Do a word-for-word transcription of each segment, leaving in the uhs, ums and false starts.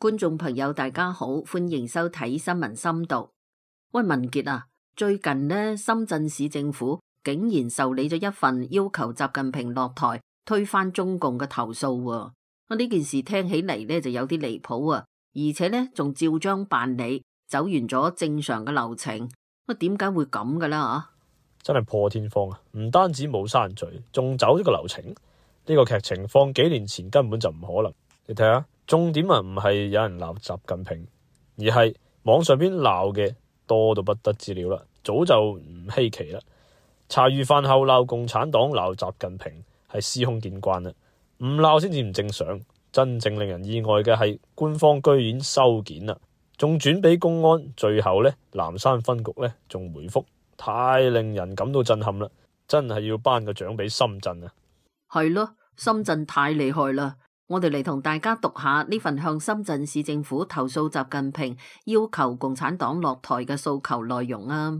觀眾朋友大家好，歡迎收睇新聞深度。喂，文傑啊，最近呢，深圳市政府竟然受理咗一份要求習近平落台推翻中共嘅投訴喎。啊，呢件事聽起嚟呢就有啲離譜啊，而且呢仲照章辦理，走完咗正常嘅流程。啊，點解會咁噶啦？啊，真係破天荒啊！唔單止冇刪除，仲走呢個流程。呢個劇情放幾年前根本就唔可能。你睇下，重點啊唔係有人鬧習近平，而係網上邊鬧嘅多到不得之了啦，早就唔稀奇啦。茶餘飯後鬧共產黨、鬧習近平係司空見慣啦，唔鬧先至唔正常。真正令人意外嘅係官方居然收件啦，仲轉俾公安，最後呢，南山分局呢仲回覆，太令人感到震撼啦！真係要頒個獎俾深圳啊！係咯，深圳太厲害啦！我哋嚟同大家讀下呢份向深圳市政府投訴習近平要求共產黨落台嘅訴求內容啊！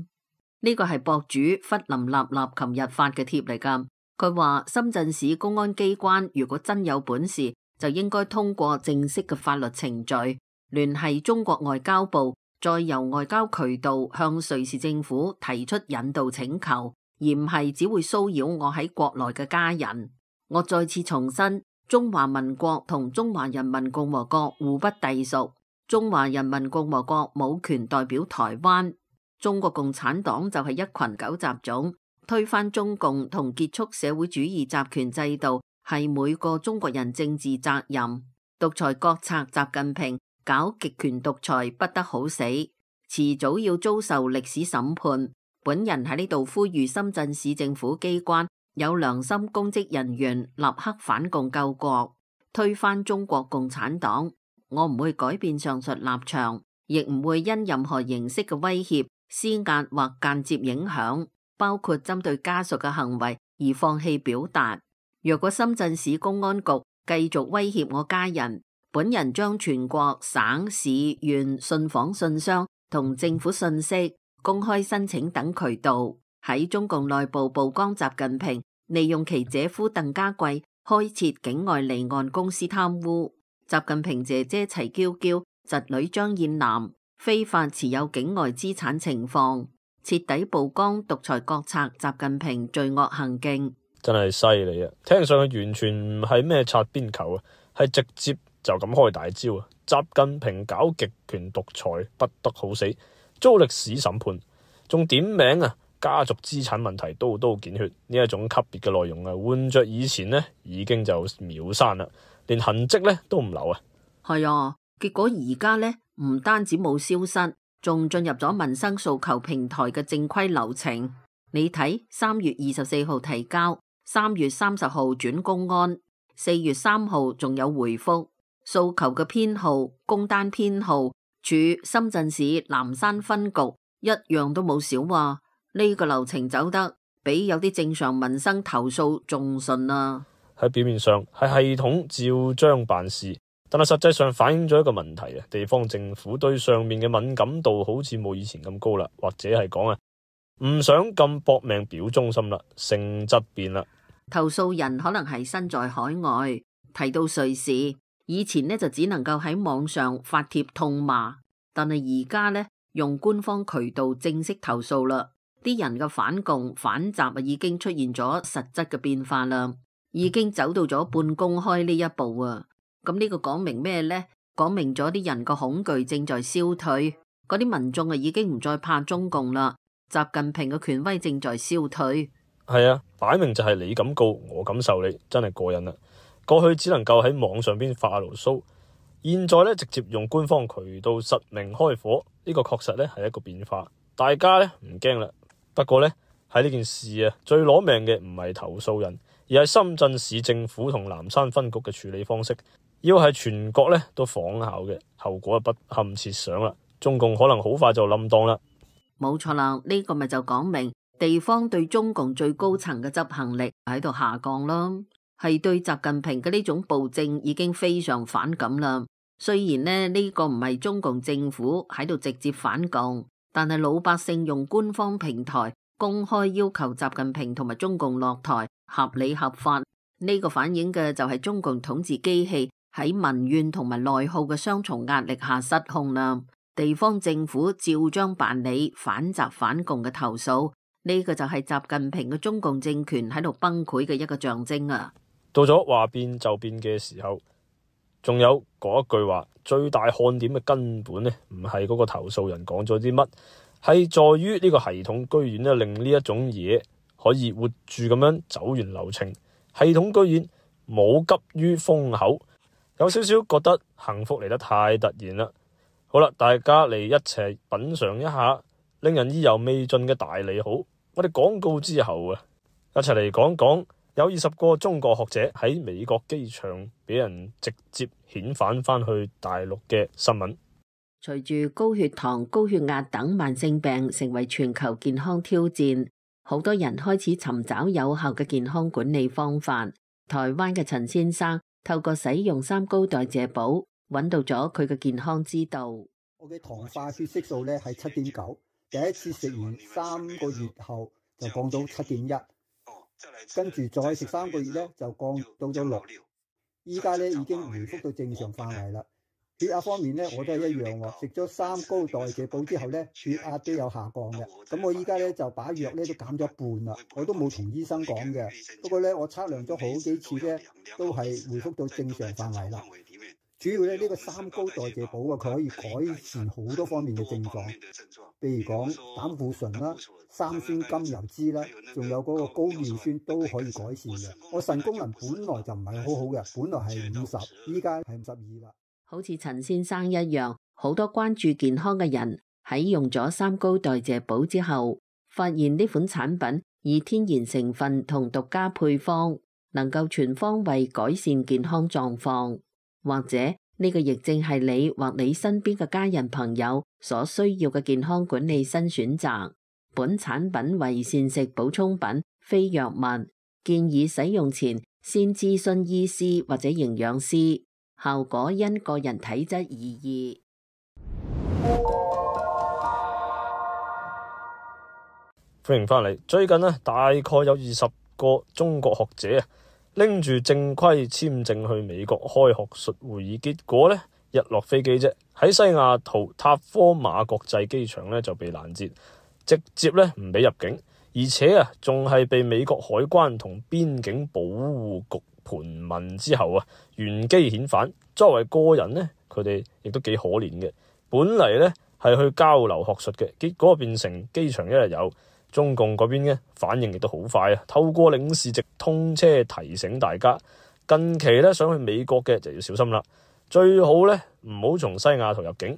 呢個係博主弗林立立琴日發嘅帖嚟噶。佢話深圳市公安機關如果真有本事，就應該通過正式嘅法律程序，聯繫中國外交部，再由外交渠道向瑞士政府提出引渡請求，而唔係只會騷擾我喺國內嘅家人。我再次重申，中華民國同中華人民共和國互不隸屬，中華人民共和國冇權代表台灣。中國共產黨就係一群狗雜種，推翻中共同結束社會主義集權制度係每個中國人政治責任。獨裁國賊習近平搞極權獨裁不得好死，遲早要遭受歷史審判。本人喺呢度呼籲深圳市政府機關有良心公職人員立刻反共救國，推翻中國共產黨。我唔會改變上述立場，亦唔會因任何形式嘅威脅、施壓或間接影響，包括針對家屬嘅行為而放棄表達。若果深圳市公安局繼續威脅我家人，本人將全國省市縣信訪信箱同政府信息、公開申請等渠道喺中共內部曝光習近平利用其姐夫鄧家貴開設境外離岸公司貪污，習近平姐姐齊嬌嬌、侄女張燕南非法持有境外資產情況，徹底曝光獨裁國賊習近平罪惡行徑。真係犀利啊！聽上去完全唔係咩擦邊球啊，係直接就咁開大招啊！習近平搞極權獨裁不得好死，遭歷史審判，仲點名啊！家族資產問題刀刀見血，呢一種級別嘅內容啊，換着以前呢已經就秒刪啦，連痕跡呢都唔留啊！係啊，結果而家呢唔單止冇消失，仲進入咗民生訴求平台嘅正規流程。你睇，三月二十四號提交，三月三十號轉公安，四月三號仲有回覆訴求嘅編號、工單編號，處深圳市南山分局，一樣都冇少話。呢個流程走得比有啲正常民生投訴仲順啊！喺表面上係系統照章辦事，但係實際上反映咗一個問題啊！地方政府對上面嘅敏感度好似冇以前咁高啦，或者係講啊，唔想咁搏命表忠心啦，性質變啦。投訴人可能係身在海外，提到瑞士，以前呢就只能夠喺網上發帖痛罵，但係而家呢用官方渠道正式投訴啦。啲人嘅反共反習啊，已經出現咗實質嘅變化啦，已經走到咗半公開呢一步啊！咁呢個講明咩呢？講明咗啲人個恐懼正在消退，嗰啲民眾啊已經唔再怕中共啦，習近平嘅權威正在消退。係啊，擺明就係你咁告，我咁受理，真係過癮啦！過去只能夠喺網上邊發下牢騷，現在咧直接用官方渠道實名開火，呢個確實咧係一個變化，大家咧唔驚啦。不過呢，喺呢件事啊，最攞命嘅唔係投訴人，而係深圳市政府同南山分局嘅處理方式。要係全國呢都仿效嘅，後果不堪設想啦。中共可能好快就冧檔啦。冇錯啦，呢個咪就講明地方對中共最高層嘅執行力喺度下降咯，係對習近平嘅呢種暴政已經非常反感啦。雖然呢呢個唔係中共政府喺度直接反共，但係老百姓用官方平台公開要求習近平同埋中共落台，合理合法。呢個反映嘅就係中共統治機器喺民怨同埋內耗嘅雙重壓力下失控啦。地方政府照章辦理反習反共嘅投訴，呢個就係習近平嘅中共政權喺度崩潰嘅一個象徵啊！到咗話變就變嘅時候，仲有嗰一句話，最大看點嘅根本呢，唔係嗰個投訴人講咗啲乜，係在於呢個系統居然咧令呢一種嘢可以活住咁樣走完流程。系統居然冇急於封口，有少少覺得幸福嚟得太突然啦。好啦，大家嚟一齊品嚐一下令人意猶未盡嘅大利好。我哋廣告之後啊，一齊嚟講講有二十個中國學者喺美國機場俾人直接遣返翻去大陸嘅新聞。隨住高血糖、高血壓等慢性病成為全球健康挑戰，好多人開始尋找有效嘅健康管理方法。台灣嘅陳先生透過使用三高代謝寶，揾到咗佢嘅健康之道。我嘅糖化血色素咧係七點九，第一次食完三個月後就降到七點一，跟住再食三個月咧就降到咗六，依家咧已經回復到正常範圍啦。血壓方面咧我都係一樣喎，食咗三高代謝寶之後咧血壓都有下降嘅。咁我依家咧就把藥咧都減咗一半啦，我都冇同醫生講嘅。不過咧我測量咗好幾次咧都係回復到正常範圍啦。主要咧呢個三高代謝寶啊，佢可以改善好多方面嘅症狀，譬如講膽固醇啦、三酸甘油酯啦，仲有嗰個高尿酸都可以改善嘅。我腎功能本來就唔係好好嘅，本來係五十，依家係五十二啦。好似陳先生一樣，好多關注健康嘅人喺用咗三高代謝寶之後，發現呢款產品以天然成分同獨家配方，能夠全方位改善健康狀況。或者呢個亦正係你或你身邊嘅家人朋友所需要嘅健康管理新選擇。本產品為膳食補充品，非藥物，建議使用前先諮詢醫師或者營養師，效果因個人體質而異。歡迎翻嚟。最近呢，大概有二十個中國學者啊，拎住正規簽證去美國開學術會議，結果呢，一落飛機啫，喺西雅圖塔科馬國際機場呢就被攔截，直接呢唔俾入境，而且啊仲係被美國海關同邊境保護局盤問之後啊原機遣返。作為個人呢，佢哋亦都幾可憐嘅，本嚟呢係去交流學術嘅，結果變成機場一日遊。中共嗰邊嘅反應亦都好快啊！透過領事直通車提醒大家，近期咧想去美國嘅就要小心啦，最好咧唔好從西雅圖入境。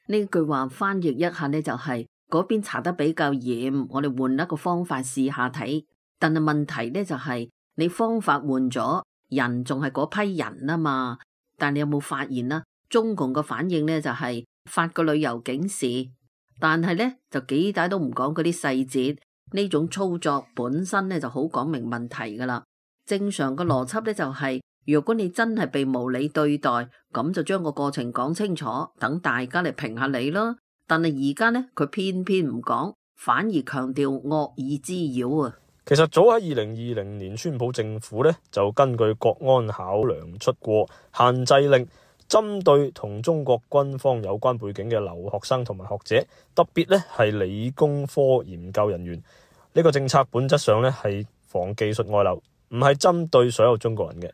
呢句話翻譯一下呢，就係嗰邊查得比較嚴，我哋換一個方法試下睇。但係問題呢，就係你方法換咗，人仲係嗰批人啊嘛。但你有冇發現啦？中共嘅反應呢，就係發個旅遊警示。但係咧就幾大都唔講嗰啲細節，呢種操作本身咧就好講明問題噶啦。正常嘅邏輯咧就係，如果你真係被無理對待，咁就將個過程講清楚，等大家嚟評下你咯。但係而家咧佢偏偏唔講，反而強調惡意滋擾啊。其實早喺二零二零年，川普政府咧就根據國安考量出過限制令。針對同中國軍方有關背景嘅留學生同埋學者，特別咧係理工科研究人員，呢個政策本質上咧係防技術外流，唔係針對所有中國人嘅。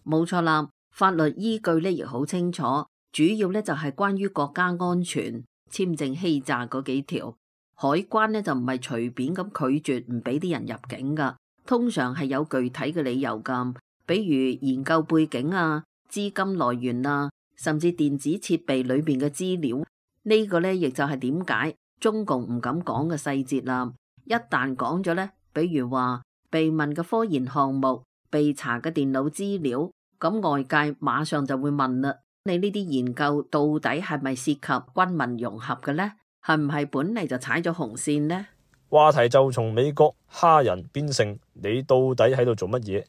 冇錯啦，法律依據咧亦好清楚，主要咧就係關於國家安全、簽證欺詐嗰幾條。海關咧就唔係隨便咁拒絕唔俾啲人入境噶，通常係有具體嘅理由噶，比如研究背景啊、資金來源啊，甚至電子設備裏邊嘅資料，呢個呢，亦就係點解中共唔敢講嘅細節啦。一旦講咗呢，比如話被問嘅科研項目、被查嘅電腦資料，咁外界馬上就會問啦：你呢啲研究到底係咪涉及軍民融合嘅呢？係唔係本嚟就踩咗紅線呢？話題就從美國蝦人變成你到底喺度做乜嘢？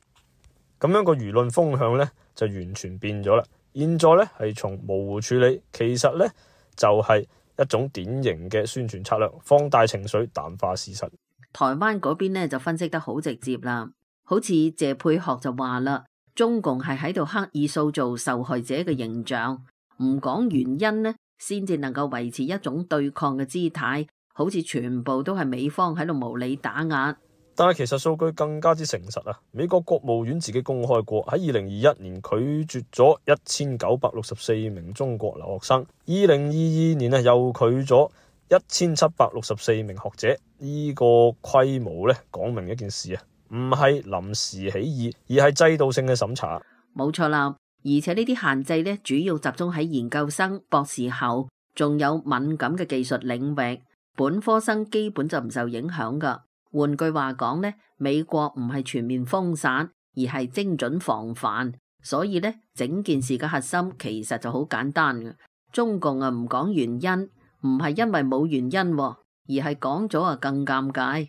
咁樣個輿論風向呢，就完全變咗啦。現在咧係從模糊處理，其實咧就係一種典型嘅宣傳策略，放大情緒，淡化事實。台灣嗰邊咧就分析得好直接啦，好似謝佩學就話啦，中共係喺度刻意塑造受害者嘅形象，唔講原因呢，先至能夠維持一種對抗嘅姿態，好似全部都係美方喺度無理打壓。但係其實數據更加之誠實啊！美國國務院自己公開過，喺二零二一年拒絕咗一千九百六十四名中國留學生，二零二二年啊又拒咗一千七百六十四名學者。呢個規模咧，講明一件事啊，唔係臨時起意，而係制度性嘅審查。冇錯啦，而且呢啲限制咧，主要集中喺研究生、博士後，仲有敏感嘅技術領域，本科生基本就唔受影響噶。換句話講咧，美國唔係全面封殺，而係精準防範。所以咧，整件事嘅核心其實就好簡單嘅。中共啊唔講原因，唔係因為冇原因，而係講咗啊更尷尬。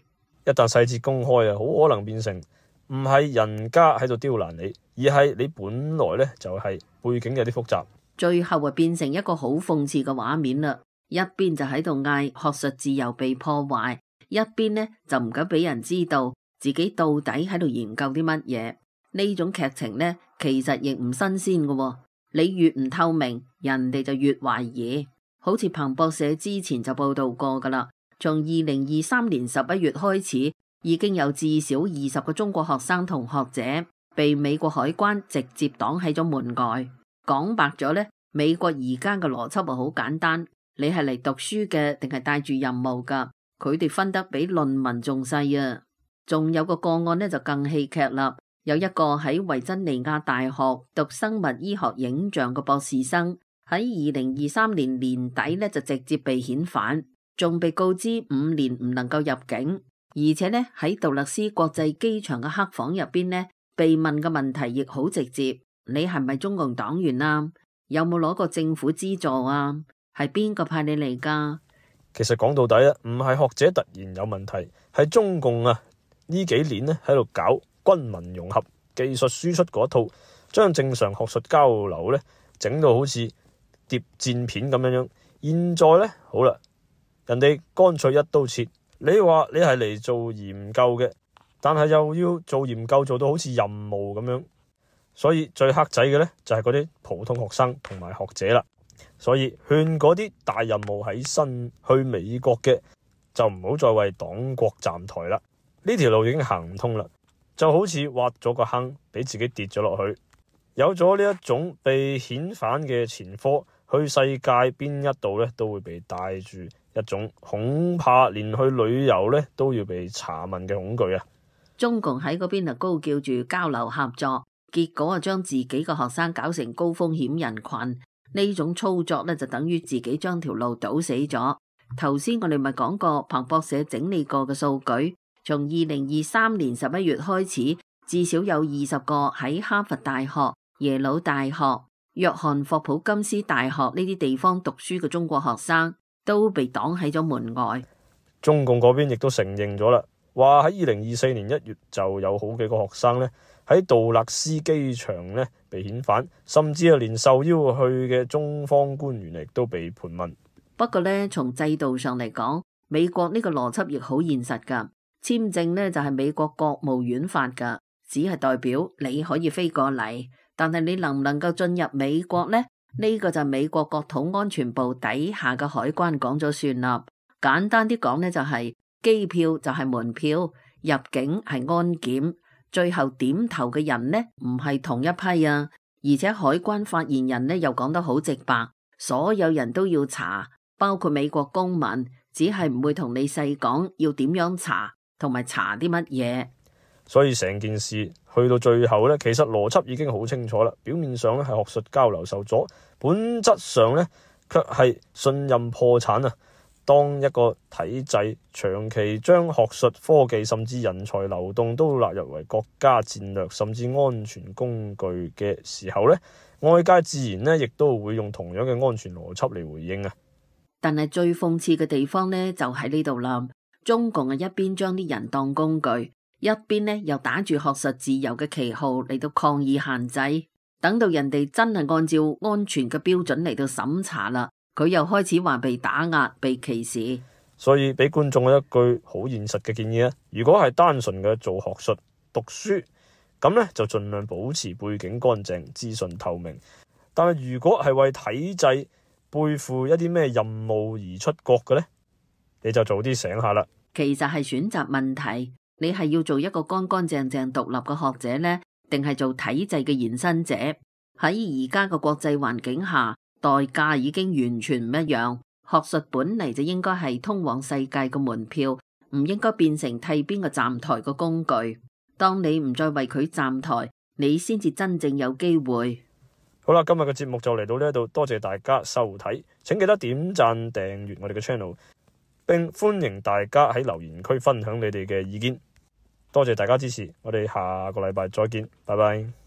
一旦細節公開啊，好可能變成唔係人家喺度刁難你，而係你本來咧就係背景有啲複雜。最後啊變成一個好諷刺嘅畫面啦。一邊就喺度嗌學術自由被破壞，一邊呢就唔敢俾人知道自己到底喺度研究啲乜嘢。呢種劇情呢，其實亦唔新鮮嘅。你越唔透明，人哋就越懷疑。好似彭博社之前就報道過噶啦，從二零二三年十一月開始，已經有至少二十個中國學生同學者被美國海關直接擋喺咗門外。講白咗呢，美國而家嘅邏輯啊好簡單，你係嚟讀書嘅定係帶住任務噶？佢哋分得比論文仲細啊！仲有個個案呢就更戲劇啦，有一個喺維珍尼亞大學讀生物醫學影像嘅博士生，喺二零二三年年底呢就直接被遣返，仲被告知五年唔能夠入境，而且呢喺杜勒斯國際機場嘅黑房入邊呢，被問嘅問題亦好直接，你係咪中共黨員啊？有冇攞過政府資助啊？係邊個派你嚟噶？其實講到底啊，唔係學者突然有問題，係中共啊呢幾年咧喺度搞軍民融合、技術輸出嗰一套，將正常學術交流咧整到好似諜戰片咁樣樣。現在咧好啦，人哋乾脆一刀切，你話你係嚟做研究嘅，但係又要做研究做到好似任務咁樣，所以最黑仔嘅咧就係嗰啲普通學生同埋學者啦。所以勸嗰啲大任務喺身去美國嘅，就唔好再為黨國站台啦。呢條路已經行唔通啦，就好似挖咗個坑俾自己跌咗落去。有咗呢一種被遣返嘅前科，去世界邊一度咧都會被帶住一種恐怕連去旅遊咧都要被查問嘅恐懼啊！中共喺嗰邊啊高叫住交流合作，結果啊將自己嘅學生搞成高風險人群。呢種操作咧就等於自己將條路堵死咗。頭先我哋咪講過彭博社整理過嘅數據，從二零二三年十一月開始，至少有二十個喺哈佛大學、耶魯大學、約翰霍普金斯大學呢啲地方讀書嘅中國學生都被擋喺咗門外。中共嗰邊亦都承認咗啦，話喺二零二四年一月就有好幾個學生咧喺杜勒斯機場咧被遣返，甚至係連受邀去嘅中方官員亦都被盤問。不過咧，從制度上嚟講，美國呢個邏輯亦好現實噶。簽證咧就係美國國務院發噶，只係代表你可以飛過嚟，但係你能唔能夠進入美國呢？呢個就美國國土安全部底下嘅海關講咗算啦。簡單啲講呢，就係機票就係門票，入境係安檢。最後點頭嘅人呢，唔係同一批啊，而且海關發言人呢又講得好直白，所有人都要查，包括美國公民，只係唔會同你細講要點樣查，同埋查啲乜嘢。所以成件事去到最後呢，其實邏輯已經好清楚啦。表面上咧係學術交流受阻，本質上呢卻係信任破產啊！當一個體制長期將學術、科技甚至人才流動都納入為國家戰略甚至安全工具嘅時候呢，外界自然呢亦都會用同樣嘅安全邏輯嚟回應啊。但係最諷刺嘅地方呢，就喺呢度啦。中共啊一邊將啲人當工具，一邊呢又打住學術自由嘅旗號嚟到抗議限制，等到人哋真係按照安全嘅標準嚟到審查啦，佢又開始話被打壓、被歧視。所以俾觀眾一句好現實嘅建議啊，如果係單純嘅做學術讀書，咁呢，就盡量保持背景乾淨、資訊透明。但係如果係為體制背負一啲咩任務而出國嘅呢，你就早啲醒下啦。其實係選擇問題，你係要做一個乾乾淨淨獨立嘅學者呢，定係做體制嘅延伸者？喺而家嘅國際環境下，代價已經完全唔一樣。學術本嚟就應該係通往世界嘅門票，唔應該變成替邊個站台嘅工具。當你唔再為佢站台，你先至真正有機會。好啦，今日嘅節目就嚟到呢度，多謝大家收睇，請記得點讚訂閱我哋嘅 channel， 並歡迎大家喺留言區分享你哋嘅意見。多謝大家支持，我哋下個禮拜再見，拜拜。